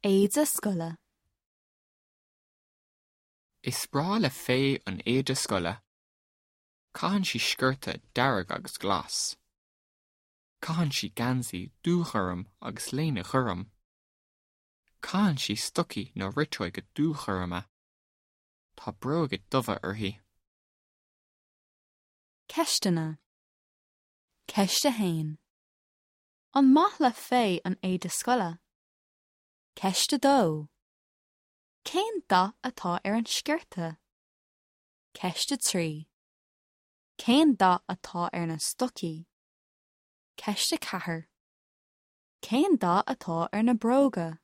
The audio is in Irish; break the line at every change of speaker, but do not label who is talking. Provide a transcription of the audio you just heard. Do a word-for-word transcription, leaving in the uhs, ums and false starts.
Éide scoile.
Is breá le Faye an éide scoile. Caitheann sí sciorta dearg agus glas. Caitheann sí geansaí dúghorm agus léine ghorm. Caitheann sí stocaí nó riteoga dúghorma. Tá bróga dubha uirthi.
Ceisteanna. Ceist a haon. An maith le Faye an éide scoile? Ceist a dó. Cén dath atá ar an sciorta? Ceist a trí. Cén dath atá ar na stocaí? Ceist a ceathair. Cén dath atá ar na bróga?